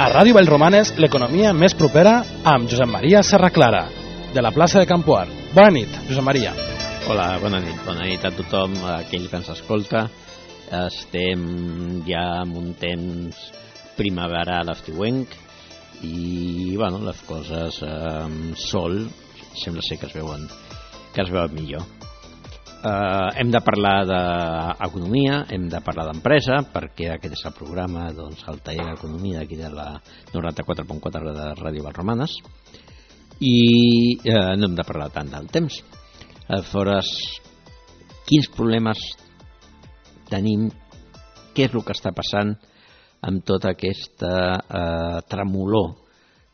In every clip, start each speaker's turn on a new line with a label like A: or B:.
A: A Ràdio Vallromanes, l'economia més propera amb Josep Maria Serraclara, de la plaça de Campoar. Bona nit, Josep Maria.
B: Hola, bona nit a tothom, a aquell que ens escolta. Estem ja en un temps primaveral estiuenc i bueno, les coses amb sol sembla ser que es veuen millor. Hem de parlar d'economia, hem de parlar d'empresa, perquè aquest és el programa, doncs, el taller d'economia d'aquí de la 94.4 de Ràdio Vallromanes, i no hem de parlar tant del temps. Aleshores, quins problemes tenim, què és el que està passant amb tota aquesta tremolor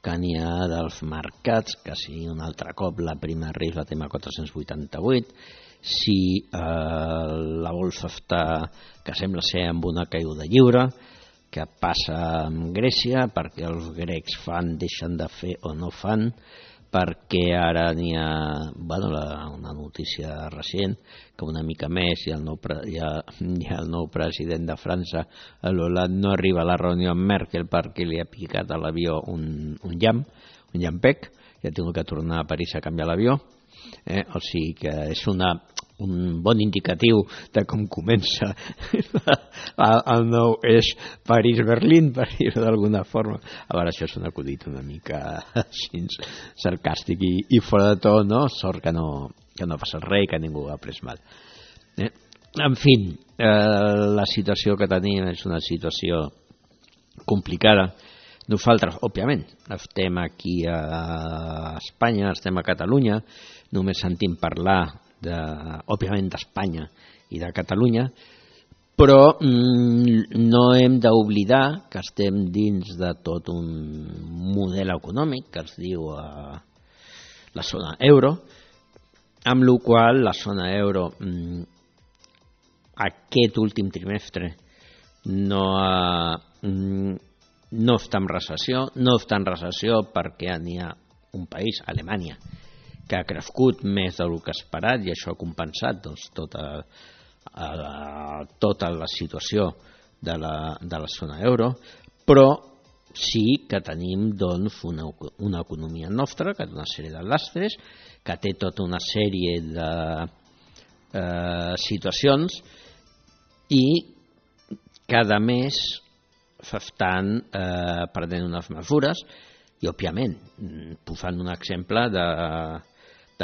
B: que n'hi ha dels mercats, que si un altre cop la prima de risc la tema 488, si la bolsa està, que sembla ser amb una caiguda lliure, que passa amb Grècia, perquè els grecs deixen de fer o no fan, perquè ara n'hi ha una notícia recent que una mica més i el nou president de França, l'Hollande, no arriba a la reunió amb Merkel perquè li ha picat a l'avió un llampec i ha tingut que tornar a París a canviar l'avió. O sigui que és un bon indicatiu de com comença el nou eix París-Berlín, per dir-ho d'alguna forma. A veure, això és un acudit una mica així sarcàstic i fora de to, no? Sort que no passa res i que ningú ha pres mal. En fi, la situació que tenim és una situació complicada. Nosaltres, òbviament, estem aquí a Espanya, estem a Catalunya, només sentim parlar òbviament d'Espanya i de Catalunya, però no hem d'oblidar que estem dins de tot un model econòmic que es diu la zona euro, amb la qual la zona euro aquest últim trimestre no està en recessió, perquè n'hi ha un país, Alemanya, que ha crescut més del que esperat i això ha compensat tota la situació de la zona euro, però sí que tenim una economia nostra que té una sèrie de lastres, que té tota una sèrie de situacions i cada mes s'estan prenent unes mesures i, òbviament, posant un exemple de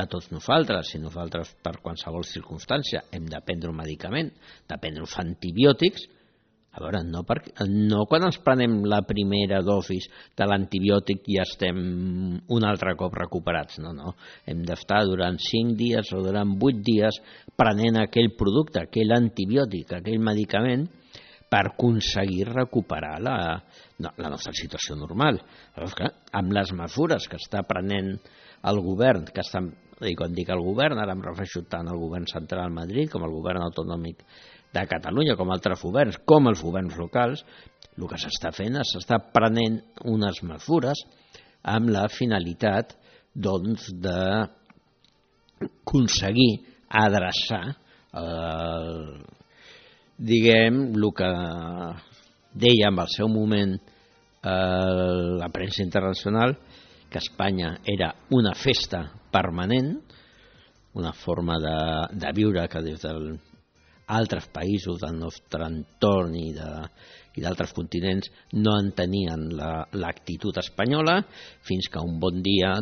B: tots nosaltres. Si nosaltres, per qualsevol circumstància, hem de prendre un medicament, de prendre uns antibiòtics, a veure, no quan ens prenem la primera dosis de l'antibiòtic i estem un altre cop recuperats, no. Hem d'estar durant 5 dies o durant 8 dies prenent aquell producte, aquell antibiòtic, aquell medicament, per aconseguir recuperar la nostra situació normal. Amb les mesures que està prenent el govern, i quan dic el govern, ara em refereixo tant al govern central a Madrid com al govern autonòmic de Catalunya, com altres governs, com els governs locals, el que s'està fent és s'està prenent unes mesures amb la finalitat d'aconseguir adreçar diguem, el que deia en el seu moment la premsa internacional, que Espanya era una festa permanent, una forma de viure que des d'altres països del nostre entorn i d'altres continents no en tenien l'actitud espanyola, fins que un bon dia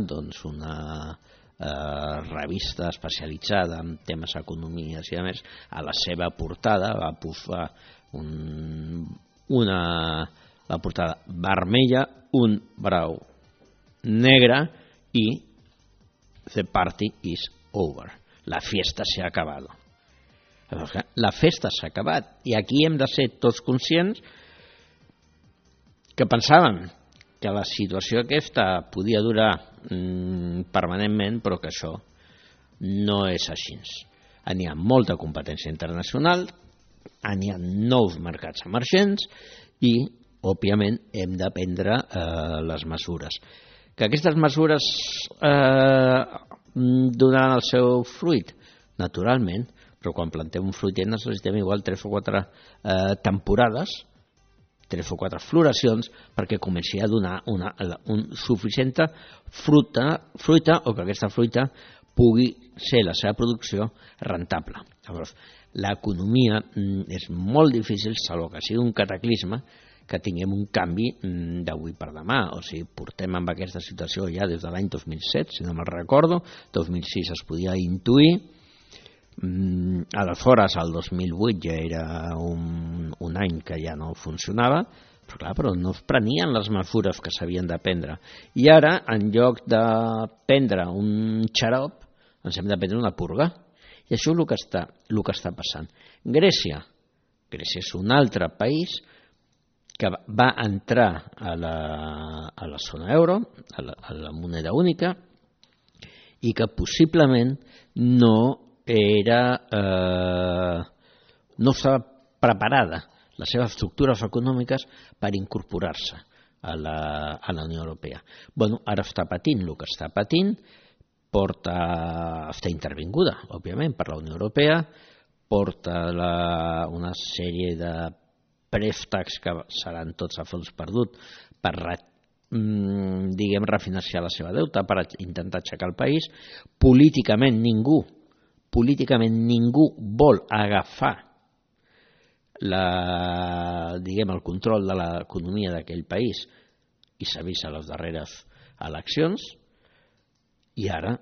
B: una revista especialitzada en temes economies i a més, a la seva portada va posar la portada vermella, un brau negre i the party is over, la fiesta se ha acabado. La festa s'ha acabat i aquí hem de ser tots conscients que pensàvem que la situació aquesta podia durar permanentment, però que això no és així. N'hi ha molta competència internacional, n'hi ha nous mercats emergents i, òbviament, hem de prendre les mesures. Que aquestes mesures donaran el seu fruit? Naturalment, però quan plantem un fruitet necessitem igual 3 o 4 temporades 3 o 4 floracions perquè comenci a donar suficient fruita o que aquesta fruita pugui ser la seva producció rentable. Llavors, l'economia és molt difícil, salvo que sigui un cataclisme, que tinguem un canvi d'avui per demà. O sigui, portem amb aquesta situació ja des de l'any 2007, si no me'n recordo, 2006 es podia intuir, aleshores el 2008 ja era un any que ja no funcionava, però no es prenien les mesures que s'havien de prendre. I ara, en lloc de prendre un xarop, ens hem de prendre una purga. I això és el que està passant. Grècia és un altre país que va entrar a la zona euro, a la moneda única, i que possiblement no estava preparada les seves estructures econòmiques per incorporar-se a la Unió Europea. Bueno, ara està patint el que està patint, està intervinguda, òbviament, per la Unió Europea, porta una sèrie de préstecs que seran tots a fons perdut per refinanciar la seva deuta, per intentar aixecar el país. Políticament ningú vol agafar el control de l'economia d'aquell país, i s'ha vist a les darreres eleccions, i ara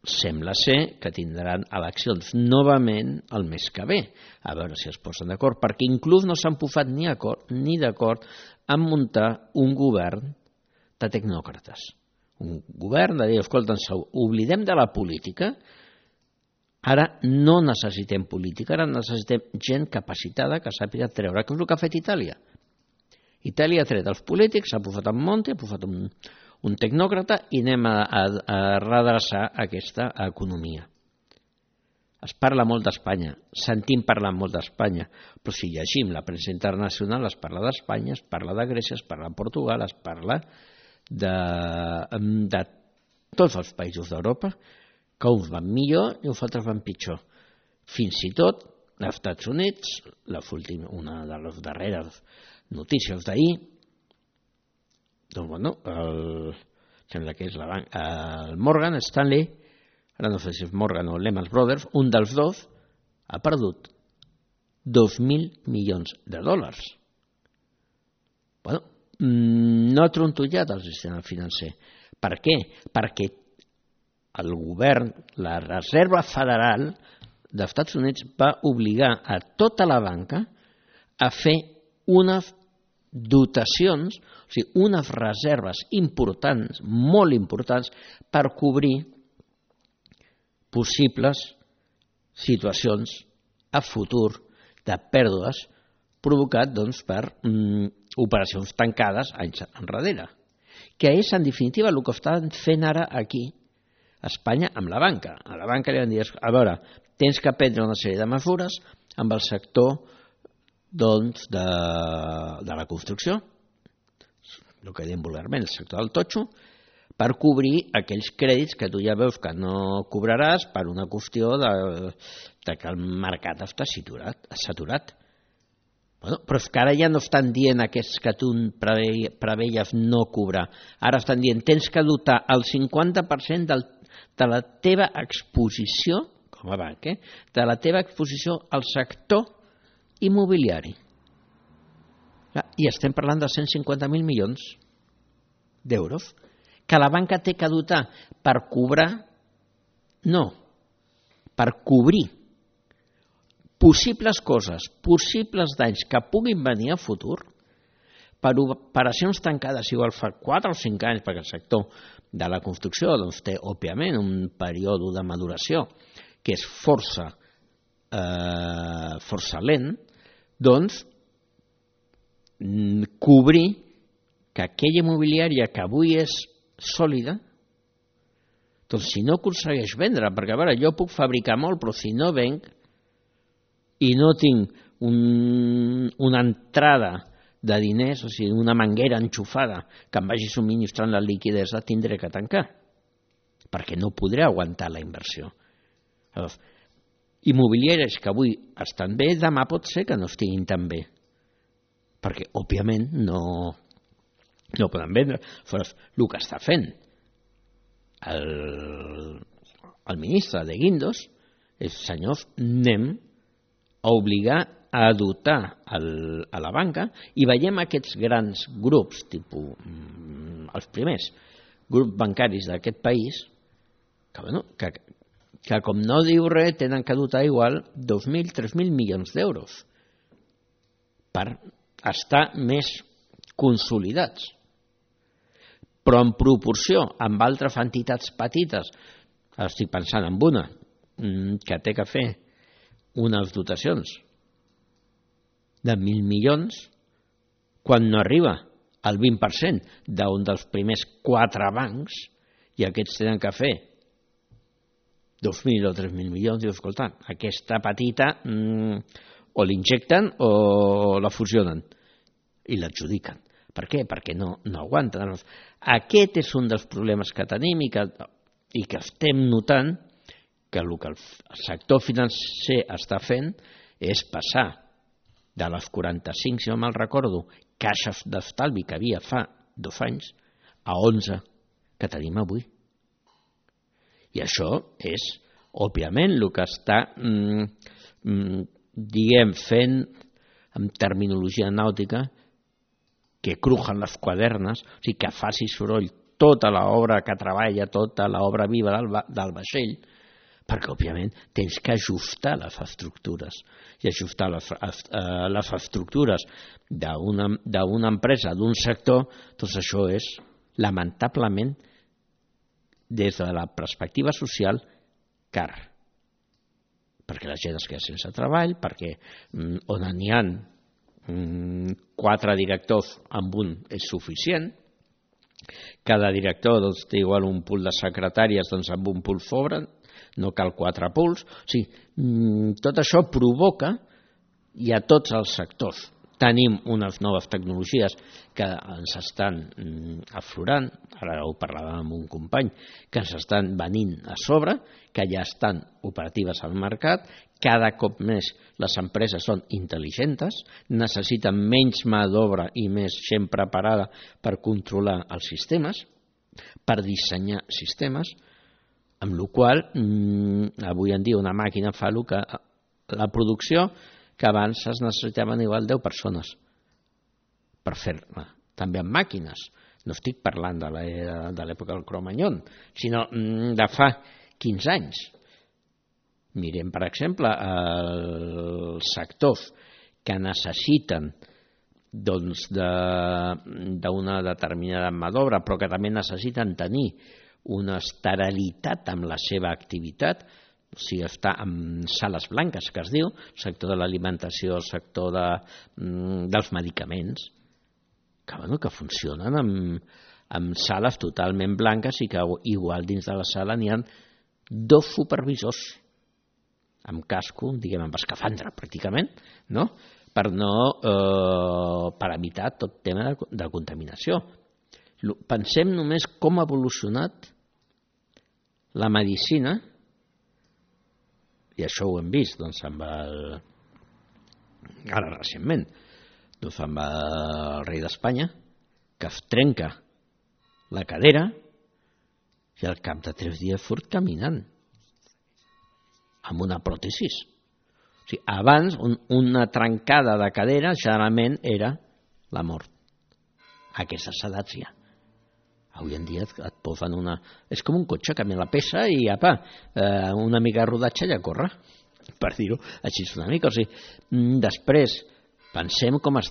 B: sembla ser que tindran eleccions novament el mes que ve, a veure si es posen d'acord, perquè inclús no s'han posat ni d'acord en muntar un govern de tecnòcrates. Un govern de dir, escolta, ens oblidem de la política, ara no necessitem política, ara necessitem gent capacitada que sàpiga treure, que és el que ha fet Itàlia. Itàlia ha tret els polítics, s'ha posat en Monti, ha posat un tecnòcrata i anem a redreçar aquesta economia. Es parla molt d'Espanya, sentim parlar molt d'Espanya, però si llegim la premsa internacional es parla d'Espanya, es parla de Grècia, es parla de Portugal, es parla de tots els països d'Europa, que uns van millor i uns altres van pitjor. Fins i tot als Estats Units, una de les darreres notícies d'ahir, doncs bueno, sembla que és el Morgan Stanley, ara no sé si és Morgan o Lehman Brothers, un dels dos ha perdut 2.000 milions de dòlars. Bueno, no ha trontollat el sistema financer. Per què? Perquè el govern, la Reserva Federal dels Estats Units va obligar a tota la banca a fer unes dotacions, o sigui, unes reserves importants, molt importants, per cobrir possibles situacions a futur de pèrdues provocat per operacions tancades anys enrere, que és en definitiva el que estan fent ara aquí a Espanya amb la banca. A la banca li van dir, a veure, tens que prendre una sèrie de mesures amb el sector de la construcció, el que diem vulgarment, el sector del totxo, per cobrir aquells crèdits que tu ja veus que no cobraràs per una qüestió de que el mercat està saturat. Bueno, però és que ara ja no estan dient aquests que tu preveies no cobrar. Ara estan dient, tens que dotar el 50% de la teva exposició, com a banc, de la teva exposició al sector immobiliari. I estem parlant de 150.000 milions d'euros que la banca té que dotar per cobrar, no, per cobrir possibles coses, possibles danys que puguin venir a futur per operacions tancades, igual fa 4 o 5 anys, perquè el sector de la construcció té, òbviament, un període de maduració que és força lent, doncs cobrir que aquella immobiliària que avui és sòlida, doncs si no aconsegueix vendre, perquè a veure, jo puc fabricar molt, però si no venc i no tinc una entrada de diners, o sigui, una manguera enxufada que em vagi subministrant la liquidesa, tindré que tancar, perquè no podré aguantar la inversió. Llavors, immobiliàries que avui estan bé, demà pot ser que no estiguin tan bé. perquè, òbviament, no poden vendre. El que està fent el ministre de Guindos és, senyors, anem a obligar a dotar a la banca, i veiem aquests grans grups, tipus els primers grups bancaris d'aquest país, que com no diu res, tenen que dotar igual 2.000, 3.000 milions d'euros per estar més consolidats. Però en proporció amb altres entitats petites, estic pensant en una, que té que fer unes dotacions de 1.000 milions, quan no arriba al 20% d'un dels primers 4 bancs, i aquests tenen que fer 2.000 o 3.000 milions, diu, escolta, aquesta petita o l'injecten o la fusionen i l'adjudiquen. Per què? Perquè no aguanten. Aquest és un dels problemes que tenim i que estem notant que el que el sector financer està fent és passar de les 45, si no me'n recordo, caixes d'estalvi que havia fa 2 anys a 11 que tenim avui. I això és, òbviament, el que està, fent, en terminologia nàutica, que crujen les quadernes, o sigui, que faci soroll tota l'obra que treballa, tota l'obra viva del vaixell, perquè, òbviament, tens que ajustar les estructures. I ajustar les estructures d'una empresa, d'un sector, doncs això és, lamentablement, des de la perspectiva social, car. Perquè la gent es queda sense treball, perquè on n'hi ha 4 directors amb un és suficient, cada director té igual un pool de secretàries, doncs amb un pool sobren, no cal 4 pools. O sigui, tot això provoca, i a tots els sectors tenim unes noves tecnologies que ens estan aflorant, ara ho parlàvem amb un company, que ens estan venint a sobre, que ja estan operatives al mercat, cada cop més les empreses són intel·ligents, necessiten menys mà d'obra i més gent preparada per controlar els sistemes, per dissenyar sistemes, amb la qual cosa, avui en dia una màquina fa el que la producció que abans es necessitaven igual 10 persones per fer-la, també amb màquines. No estic parlant de l'època del Cro-Magnon, sinó de fa 15 anys. Mirem, per exemple, els sectors que necessiten d'una determinada mà d'obra, però que també necessiten tenir una esterilitat amb la seva activitat, o sigui, està en sales blanques, que es diu, sector de l'alimentació, sector dels medicaments, que funcionen amb sales totalment blanques i que igual dins de la sala n'hi ha 2 supervisors amb casco, diguem, amb escafandra pràcticament, no? Per evitar tot tema de contaminació. Pensem només com ha evolucionat la medicina, i això ho hem vist ara recentment, amb el rei d'Espanya, que es trenca la cadera i al cap de 3 dies surt caminant amb una pròtesis. O sigui, abans una trencada de cadera generalment era la mort. A aquestes edats ja. Avui en dia et posen una... És com un cotxe, canvia la peça i apa, una mica de rodatge ja corre, per dir-ho així una mica. O sigui, després, pensem com ha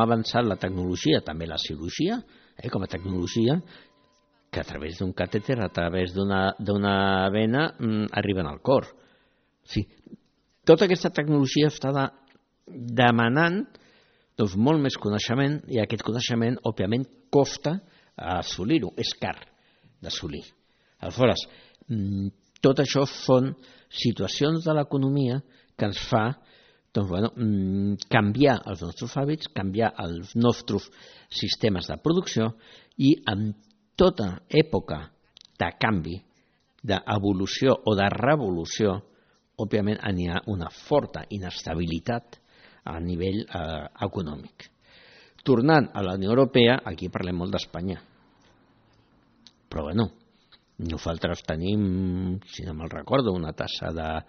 B: avançat la tecnologia, també la cirurgia, com a tecnologia, que a través d'un catèter, a través d'una vena, arriben al cor. O sigui, tota aquesta tecnologia està demanant molt més coneixement, i aquest coneixement, òbviament, costa assolir-ho, és car d'assolir. Aleshores, tot això són situacions de l'economia que ens fa canviar els nostres hàbits, canviar els nostres sistemes de producció, i en tota època de canvi, d'evolució o de revolució, òbviament hi ha una forta inestabilitat a nivell econòmic. Tornant a la Unió Europea, aquí parlem molt d'Espanya. Però bueno, nosaltres tenim, si no me'l recordo, una tassa la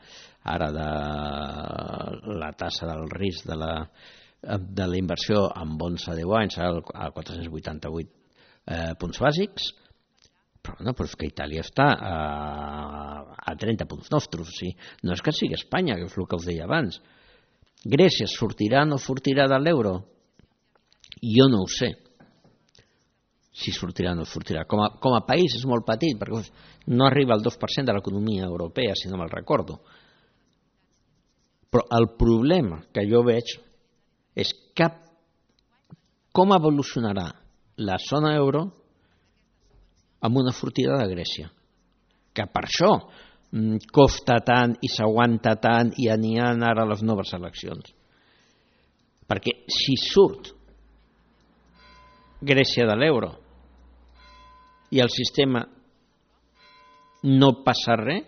B: tassa del risc de la inversió en bons a 10 anys a 488 punts bàsics, però no, però és que Itàlia està a 30 punts nostres. Sí? No és que sigui Espanya, que és el que us deia abans. Grècia sortirà o no sortirà de l'euro? Jo no ho sé, si sortirà o no sortirà. Com a país és molt petit, perquè no arriba al 2% de l'economia europea, si no me'l recordo. Però el problema que jo veig és com evolucionarà la zona euro amb una sortida de Grècia. Que per això costa tant i s'aguanta tant i n'hi ha ara les noves eleccions. Perquè si surt Grècia de l'euro i el sistema no passa res,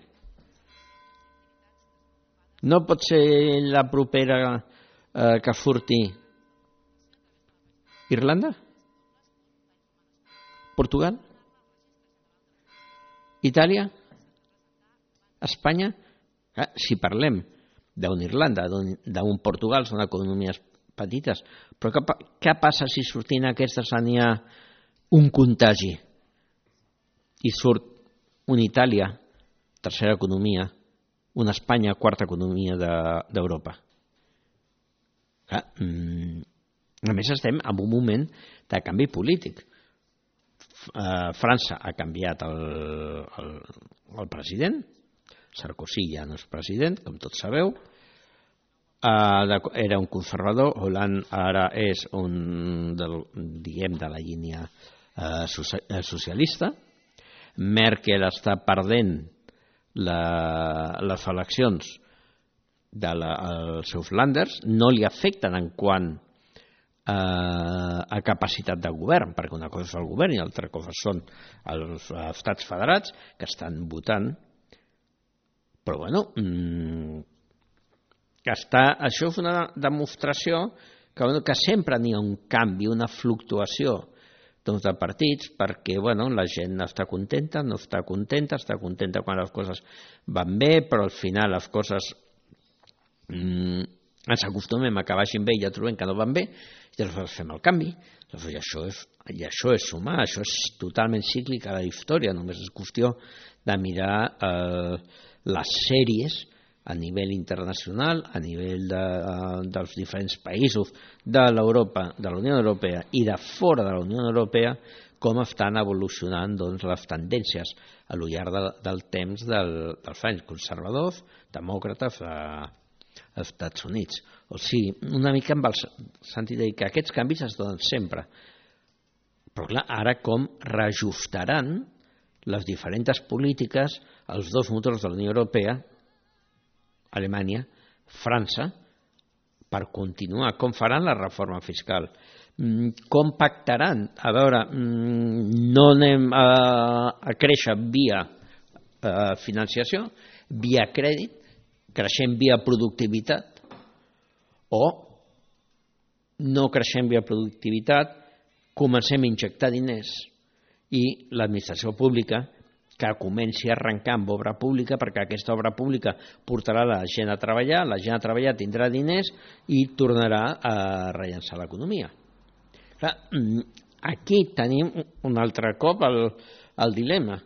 B: no pot ser la propera que surti Irlanda? Portugal? Itàlia? Espanya? Si parlem d'una Irlanda, d'un Portugal, són economies petites, però què passa si sortint aquestes n'hi ha un contagi i surt una Itàlia, tercera economia, una Espanya, quarta economia d'Europa? A més estem en un moment de canvi polític. França ha canviat el president, Sarkozy ja no és president, com tots sabeu, era un conservador, Hollande ara és de la línia socialista, Merkel està perdent les eleccions dels seus lànders, no li afecten en quant a capacitat de govern, perquè una cosa és el govern i l'altra cosa són els estats federats que estan votant. Però bueno, això és una demostració que sempre n'hi ha un canvi, una fluctuació de partits, perquè la gent està contenta, no està contenta, està contenta quan les coses van bé, però al final les coses ens acostumem a que vagin bé i ja trobem que no van bé, i llavors fem el canvi. I això és humà, això és totalment cíclic a la història, només és qüestió de mirar les sèries a nivell internacional, a nivell dels diferents països de la Unió Europea i de fora de la Unió Europea, com estan evolucionant les tendències a lo llarg del temps dels anys conservadors, demòcrates als Estats Units. O sigui, una mica amb el sentit de dir que aquests canvis es donen sempre. Però clar, ara com reajustaran les diferents polítiques als dos motors de la Unió Europea, Alemanya, França, per continuar, com faran la reforma fiscal, com pactaran, a veure, no anem a créixer via financiació, via crèdit, creixem via productivitat, o no creixem via productivitat, comencem a injectar diners i l'administració pública que comenci a arrencar amb obra pública, perquè aquesta obra pública portarà la gent a treballar tindrà diners i tornarà a rellançar l'economia. Aquí tenim un altre cop el dilema.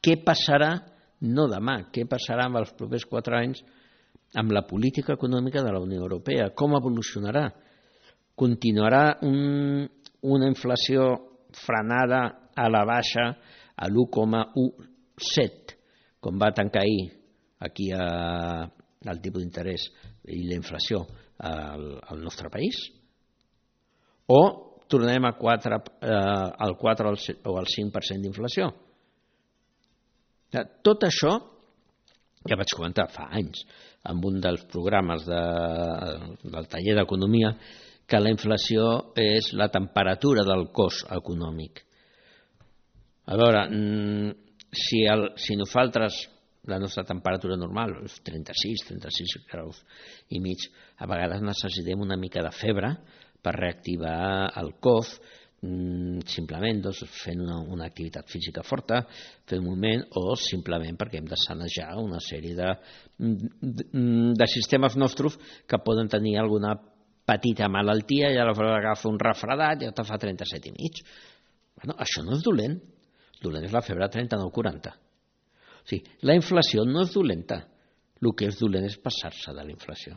B: Què passarà, no demà, què passarà amb els propers 4 anys amb la política econòmica de la Unió Europea? Com evolucionarà? Continuarà una inflació frenada a la baixa a l'1,17, com va tancar ahir aquí el tipus d'interès i la inflació al nostre país? O tornem al 4 o al 5% d'inflació? Tot això, ja vaig comentar fa anys en un dels programes del taller d'economia, que la inflació és la temperatura del cost econòmic. A veure, si nosaltres la nostra temperatura normal, 36 graus i mig. A vegades necessitem una mica de febre per reactivar el cos, simplement fent una activitat física forta, fent moviment, o simplement perquè hem de sanejar una sèrie de sistemes nostres que poden tenir alguna petita malaltia i aleshores agafa un refredat i te fa 37 i mig. Bueno, això no és dolent. Dolent és la febre 39-40. O sigui, la inflació no és dolenta. El que és dolent és passar-se de la inflació.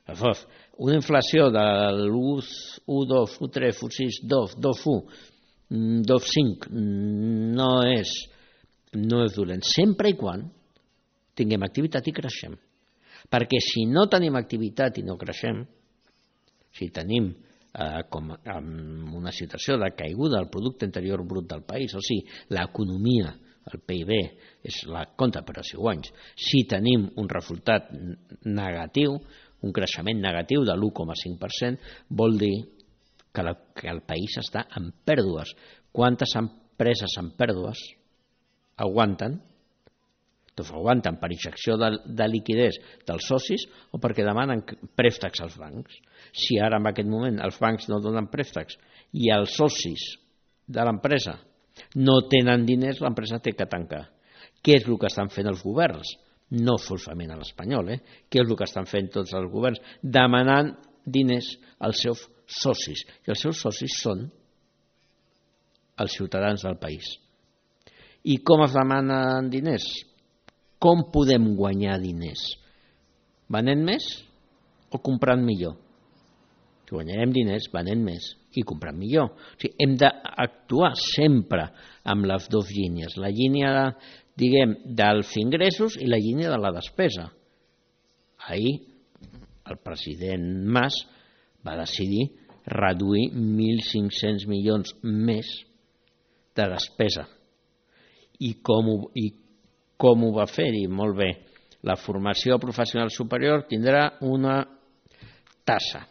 B: Llavors, una inflació de l'1, 2, 1, 3, 1, 6, 2, 2, 1, 2, 5 no és dolent, sempre i quan tinguem activitat i creixem. Perquè si no tenim activitat i no creixem, si tenim com una situació de caiguda del producte interior brut del país, o sigui, l'economia, el PIB, és la compta per a 5 anys, si tenim un resultat negatiu, un creixement negatiu de l'1,5%, vol dir que el país està en pèrdues. Quantes empreses en pèrdues aguanten? Doncs aguanten per injecció de liquiditat dels socis o perquè demanen préstecs als bancs. Si ara en aquest moment els bancs no donen préstecs i els socis de l'empresa no tenen diners, l'empresa té que tancar. Què és el que estan fent els governs? No solament a l'espanyol, què és el que estan fent tots els governs? Demanant diners als seus socis. I els seus socis són els ciutadans del país. I com es demanen diners? Com podem guanyar diners? Venent més o comprant millor? Si guanyarem diners, venent més i comprant millor. O sigui, hem d'actuar sempre amb les dues línies. La línia, diguem, dels ingressos i la línia de la despesa. Ahir el president Mas va decidir reduir 1.500 milions més de despesa. I com ho va fer? I molt bé, la formació professional superior tindrà una tassa,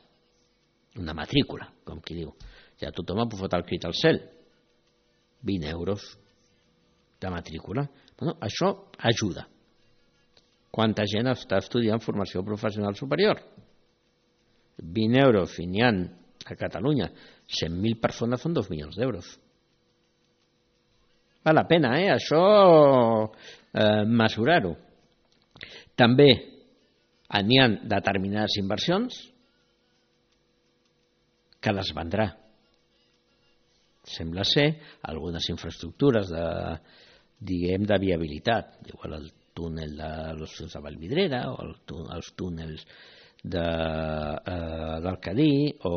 B: una matrícula, com qui diu. Ja tothom ha posat el crit al cel. 20 euros de matrícula. Bueno, això ajuda. Quanta gent està estudiant formació professional superior? 20 euros, i n'hi ha a Catalunya 100.000 persones, són 2 milions d'euros. Val la pena, això mesurar-ho. També n'hi ha determinades inversions que les vendrà. Sembla ser algunes infraestructures de viabilitat, igual el túnel de l'Ossós de Vallvidrera o els túnels del Cadí o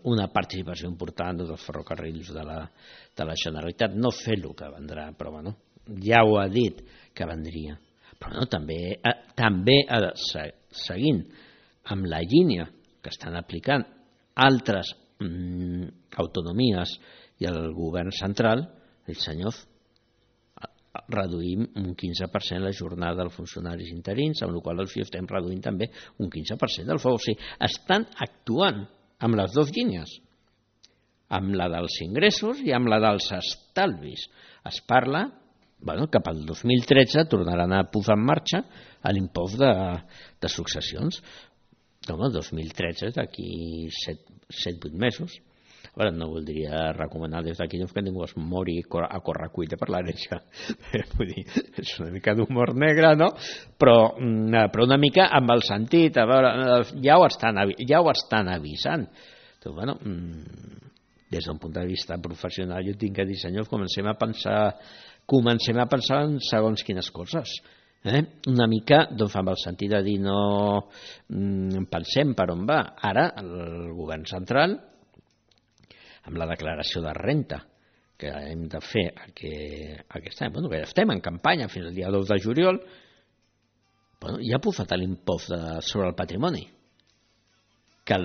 B: una participació important dels ferrocarrils de la Generalitat. No sé el que vendrà, però bueno, ja ho ha dit que vendria. Però no, també seguint amb la línia que estan aplicant altres autonomies i el govern central, els senyors, reduïm un 15% la jornada dels funcionaris interins, amb la qual cosa estem reduint també un 15% del fou. O sigui, estan actuant amb les dues línies, amb la dels ingressos i amb la dels estalvis. Es parla que pel 2013 tornaran a posar en marxa l'impost de successions. El 2013, d'aquí 7-8 mesos. A veure, no voldria recomanar des d'aquí que ningú es mori a correcuita per l'herència. Vull dir, és una mica d'humor negre, no? Però una mica amb el sentit, a veure, ja ho estan avisant. Doncs, bueno, des d'un punt de vista professional, jo tinc que dir, senyors, comencem a pensar en segons quines coses. Una mica amb el sentit de dir no pensem per on va. Ara el govern central, amb la declaració de renta que hem de fer aquest any, que ja estem en campanya fins al dia 2 de juliol, ja ha posat l'impost sobre el patrimoni que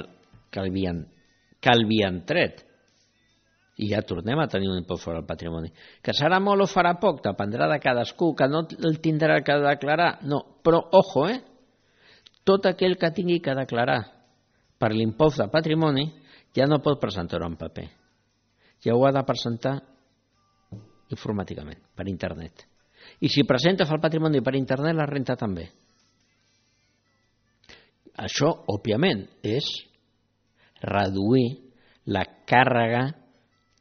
B: havien tret. I ja tornem a tenir un impost sobre el patrimoni. Que serà molt o farà poc, dependrà de cadascú, que no el tindrà que declarar. No, però, ojo, tot aquell que tingui que declarar per l'impost de patrimoni ja no pot presentar-ho en paper. Ja ho ha de presentar informàticament, per internet. I si presenta el patrimoni per internet, la renta també. Això, òbviament, és reduir la càrrega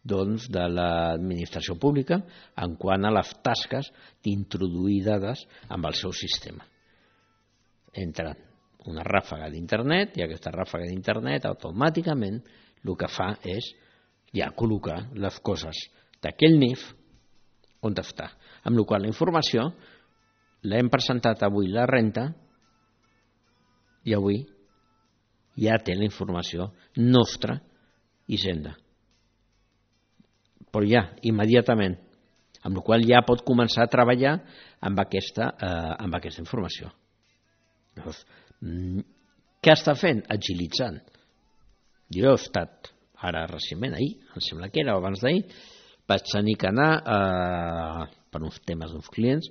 B: de l'administració pública en quant a les tasques d'introduir dades amb el seu sistema. Entra una ràfaga d'internet i aquesta ràfaga d'internet automàticament el que fa és ja col·locar les coses d'aquell NIF on està. Amb la qual la informació l'hem presentat avui la renta i avui ja té la informació nostra Hisenda. Però ja, immediatament, amb la qual ja pot començar a treballar amb aquesta informació. Llavors, què està fent? Agilitzant. Jo he estat, ara recentment, ahir, em sembla que era, o abans d'ahir, vaig tenir que anar per uns temes d'uns clients,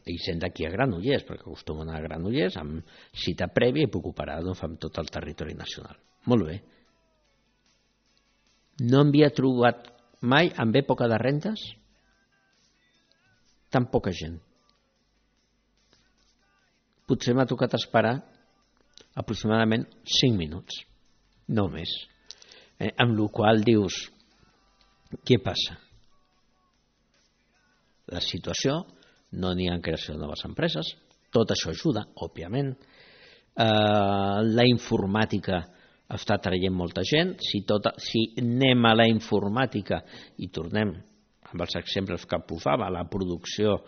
B: i sent d'aquí a Granollers, perquè acostumo a anar a Granollers, amb cita prèvia i puc operar amb tot el territori nacional. Molt bé. No havia trobat mai, amb època de rentes, tan poca gent. Potser m'ha tocat esperar aproximadament 5 minuts, no més. Amb la qual dius, què passa? La situació, no n'hi ha creació de noves empreses, tot això ajuda, òbviament. La informàtica està traient molta gent. Si anem a la informàtica i tornem amb els exemples que posava, la producció,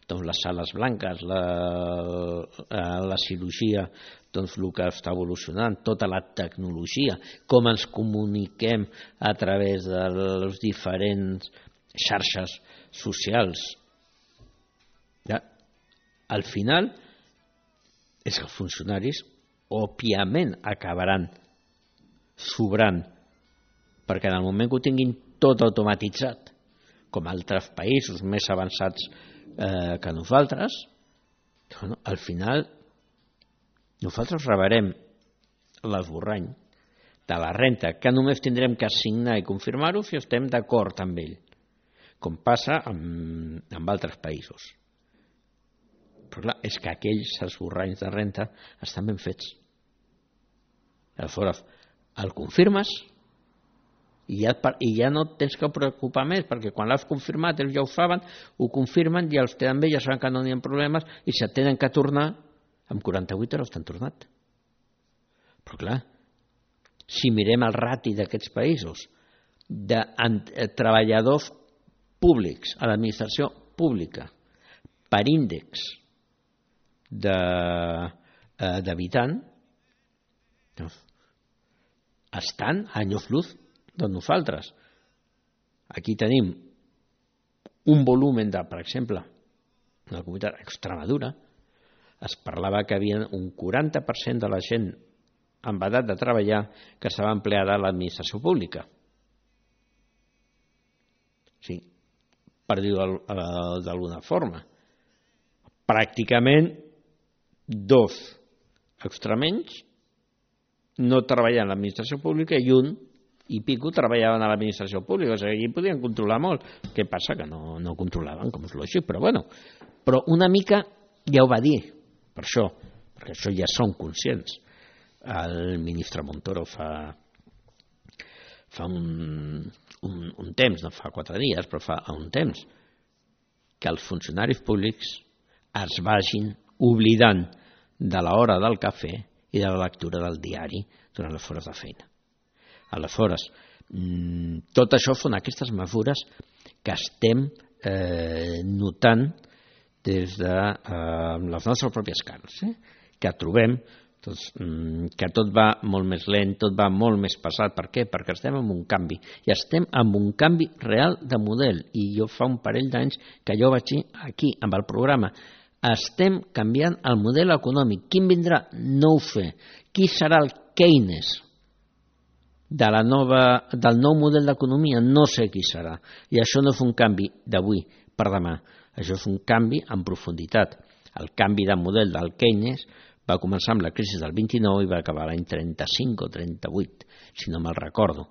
B: doncs les sales blanques, la cirurgia, doncs el que està evolucionant, tota la tecnologia, com ens comuniquem a través de les diferents xarxes socials. Ja, al final és que els funcionaris òbviament acabaran sobrant, perquè en el moment que ho tinguin tot automatitzat, com altres països més avançats que nosaltres, al final nosaltres rebrem l'esborrany de la renta, que només tindrem que assignar i confirmar-ho si estem d'acord amb ell, com passa amb altres països. Però clar, és que aquells esborranys de renta estan ben fets. Aleshores, el confirmes i ja no et tens que preocupar més, perquè quan l'has confirmat ells ja ho saben, ho confirmen i els també ja saben que no n'hi ha problemes i si et tenen que tornar, en 48 hores t'han tornat. Però clar, si mirem el rati d'aquests països de treballadors públics a l'administració pública per índex d'habitant, estan a anys lluz de nosaltres. Aquí tenim un volum per exemple, en la comunitat Extremadura, es parlava que hi havia un 40% de la gent amb edat de treballar que estava empleada a l'administració pública. Sí, per dir-ho d'alguna forma. Pràcticament 2 extremenys no treballaven a l'administració pública i 1 i pico treballaven a l'administració pública. O sigui, allí podien controlar molt. Què passa? Que no controlaven, com és lògic, però bueno. Però una mica ja ho va dir, per això, perquè això ja són conscients. El ministre Montoro fa un temps, no fa 4 dies, però fa un temps, que els funcionaris públics es vagin oblidant de l'hora del cafè i de la lectura del diari durant les hores de feina. Aleshores, tot això són aquestes mesures que estem notant des de les nostres pròpies carns, que trobem que tot va molt més lent, tot va molt més pesat. Per què? Perquè estem en un canvi, i estem en un canvi real de model, i jo fa un parell d'anys que jo vaig dir aquí, amb el programa, estem canviant el model econòmic. Quin vindrà? No ho sé. Qui serà el Keynes del nou model d'economia? No sé qui serà. I això no és un canvi d'avui per demà. Això és un canvi en profunditat. El canvi de model del Keynes va començar amb la crisi del 29 i va acabar l'any 35 o 38, si no me'l recordo.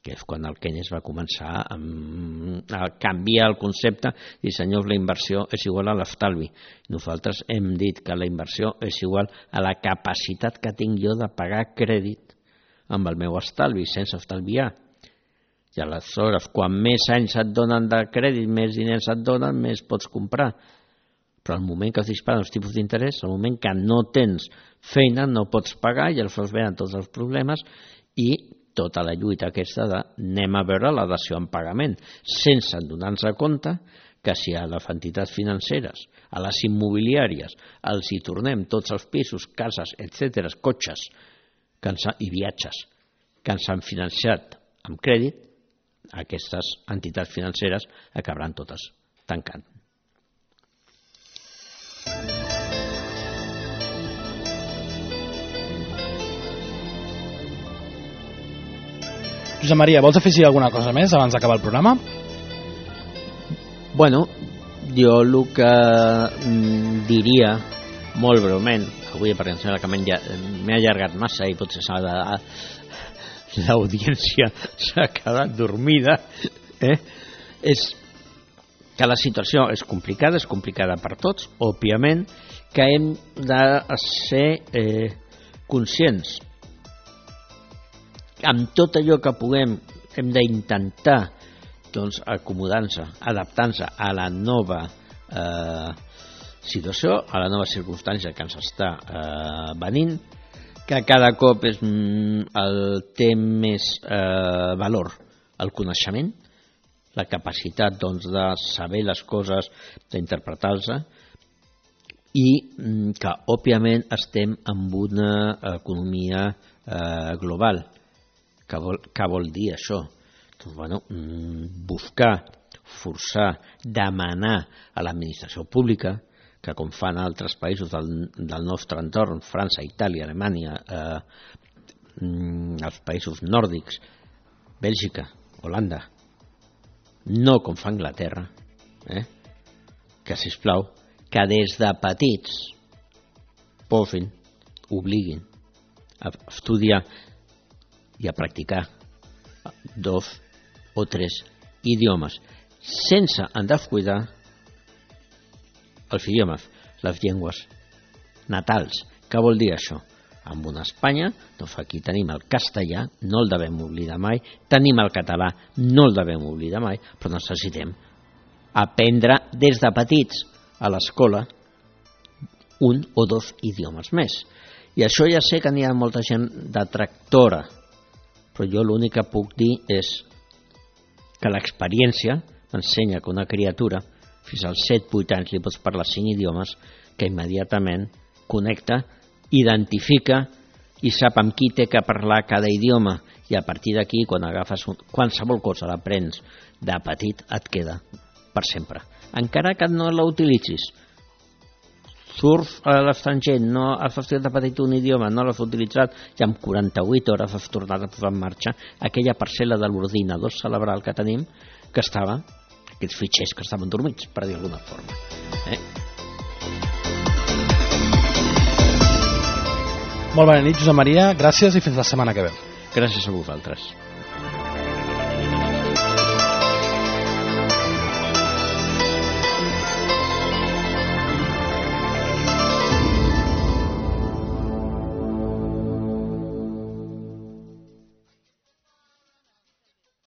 B: que és quan el Keynes va començar a canviar el concepte i, senyors, la inversió és igual a l'estalvi. Nosaltres hem dit que la inversió és igual a la capacitat que tinc jo de pagar crèdit amb el meu estalvi, sense estalviar. I aleshores, quan més anys et donen de crèdit, més diners et donen, més pots comprar. Però al moment que es disparen els tipus d'interès, al moment que no tens feina, no pots pagar i aleshores venen tots els problemes i tota la lluita aquesta de anem a veure la dació en pagament, sense donar-nos compte que si a les entitats financeres, a les immobiliàries, els hi tornem tots els pisos, cases, etc., cotxes i viatges que ens han financiat amb crèdit, aquestes entitats financeres acabaran totes tancant.
A: Josep Maria, vols afegir alguna cosa més abans d'acabar el programa?
B: Bueno, jo el que diria, molt breument, avui perquè em sembla que m'he allargat massa i potser l'audiència s'ha quedat dormida, és que la situació és complicada per tots, òbviament, que hem de ser conscients. Amb tot allò que puguem hem d'intentar acomodar-nos, adaptar-nos a la nova situació, a la nova circumstància que ens està venint, que cada cop té més valor el coneixement, la capacitat de saber les coses, d'interpretar-les, i que òbviament estem en una economia global. Què vol dir això? Buscar, forçar, demanar a l'administració pública, que com fan altres països del nostre entorn, França, Itàlia, Alemanya, els països nòrdics, Bèlgica, Holanda, no com fa Anglaterra, que sisplau, que des de petits posin, obliguin a estudiar i a practicar 2 o 3 idiomes, sense en descuidar els idiomes, les llengües natals. Què vol dir això? En una Espanya, aquí tenim el castellà, no el devem oblidar mai, tenim el català, no el devem oblidar mai, però necessitem aprendre des de petits a l'escola 1 o 2 idiomes més. I això ja sé que n'hi ha molta gent detractora, però jo l'únic que puc dir és que l'experiència m'ensenya que una criatura fins als 7-8 anys li pots parlar 5 idiomes, que immediatament connecta, identifica i sap amb qui té que parlar cada idioma, i a partir d'aquí, quan agafes qualsevol cosa l'aprens de petit, et queda per sempre, encara que no la utilitzis. Surf a l'estranger, no has estudiat de petit un idioma, no l'has utilitzat, i en 48 hores has tornat a posar en marxa aquella parcel·la de l'ordinador cerebral que tenim, que estava, aquests fitxers que estaven dormits, per dir d'alguna forma.
A: Molt bona nit, Josep Maria, gràcies i fins la setmana que ve.
B: Gràcies a vosaltres.